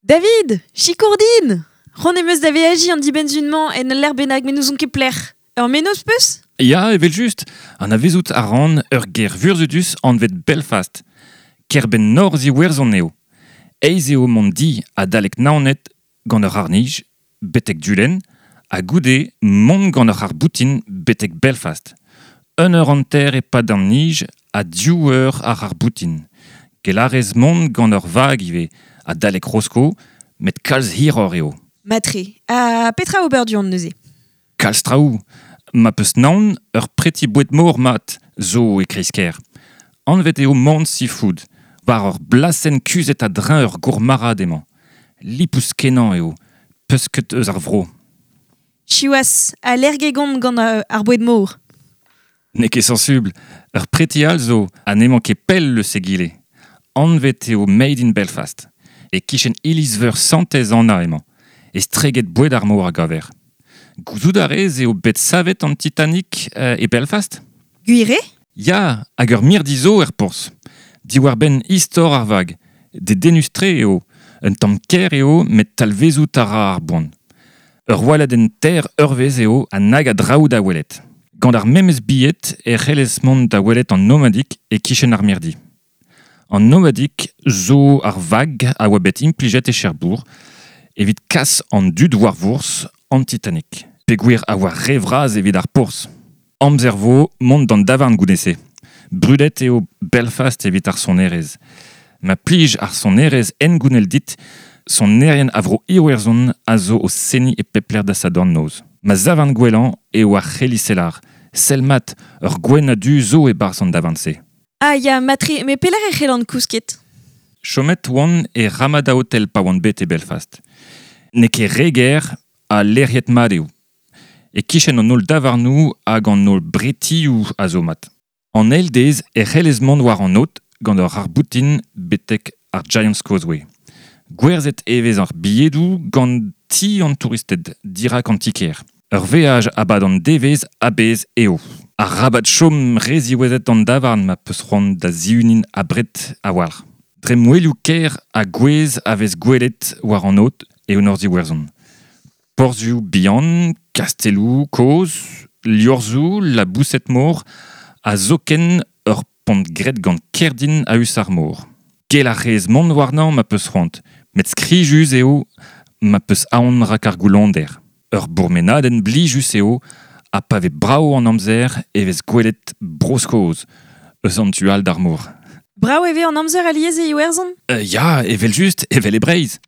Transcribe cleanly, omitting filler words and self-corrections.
David, sikour din! C'hoant em eus da veajiñ an dibenn-sizhun-mañ en ul lec'h bennak met n'ouzon ket pelec'h. Ur mennozh 'peus? Ya, evel-just, anavezout a ran ur gêr vurzhudus anvet Belfast. Kêr-benn norzh Iwerzhon eo. Aes eo mont di adalek Naoned gant ur c'harr-nij betek Dulenn ha goude mont gant ur c'harr-boutin betek Belfast. Un eur hanter e-pad an nij ha div eur ar c'harr-boutin. Gellarez mont gant ur vag ivez, adalek Rosko, met kalz hiroc'h eo. Matre. Ha petra ober du-hont neuze? Kalz traoù. Ma peus naon, ur preti boued-mor mat zo e kreiz-kêr. Anvet eo Mont Seafood. War ur blasenn kuzhet a-dreñv ur gourmarc'had emañ. Lipous-kenañ eo, pesked eus ar vro. Siwazh, allergek on gant ar boued-mor. N'eo ket sañsubl. Ur preti all zo ha n'emañ ket pell eus egile. Anvet eo Made in Belfast. E-kichen iliz-veur Santez Anna emañ. Estreget boued ar mor a gaver. Gouzout a rez eo bet savet an Titanic e Belfast? Gwir eo? Ya, hag ur mirdi zo er porzh. Diwar-benn istor ar vag. Dedennus-tre eo. Un tamm ker eo met talvezout a ra ar boan. Ur waladenn teir eurvezh eo ha nag a draoù da welet. Gant ar memes bilhed e c'hellez mont da welet an Nomadic e-kichen ar mirdi. An Nomadic zo ar vag a oa bet implijet e Cherbourg evit kas an dud war vourzh an Titanic, peogwir a oa re vras evit ar porzh. Amzer vo mont d'an davarn goude-se. Brudet eo Belfast evit ar sonerezh. Ma plij ar sonerezh hengounel dit, sonerien a vro Iwerzhon a zo o seniñ e pep lec'h da Sadorn noz. Ma zavarn gwellañ eo ar c'heliselar. Sell mat, ur gwenn ha du zo e-barzh an davarn-se. Ah ya, matre, met pelec'h e c'hellan kousket? Chomet oan e Ramada Hotel pa oan bet e Belfast. N'eo ket re ger ha lec'hiet mat eo. E-kichen an holl davarnoù hag an holl bretioù a zo mat. An eil deiz e c'hellez mont war an aod gant ur c'harr-boutin betek ar Giant's Causeway. Gwerzhet e vez ar bilhedoù gant ti an touristed dirak an ti-kêr. Ur veaj a-bad an devezh a-bezh eo. Arabat chom re ziwezhat d'an davarn ma 'peus c'hoant da zihunin abred a-walc'h. Dre mouelioù kêr ha gouez a vez gwelet war an aod eo Norzh-Iwerzhon. Porzhioù bihan, kastelloù kozh, liorzhoù, laboused-mor ha zoken ur pont graet gant kerdin a-us ar mor. Gell a rez mont warnañ ma 'peus c'hoant, met skrijus eo ma 'peus aon rak ar goullonder. Ur bourmenadenn blijus eo ha pa vez brav an amzer e vez gwelet Bro-Skos eus an tu all d'ar mor. Brav e vez an amzer alies e Iwerzhon? Ya, evel-just, evel e Breizh.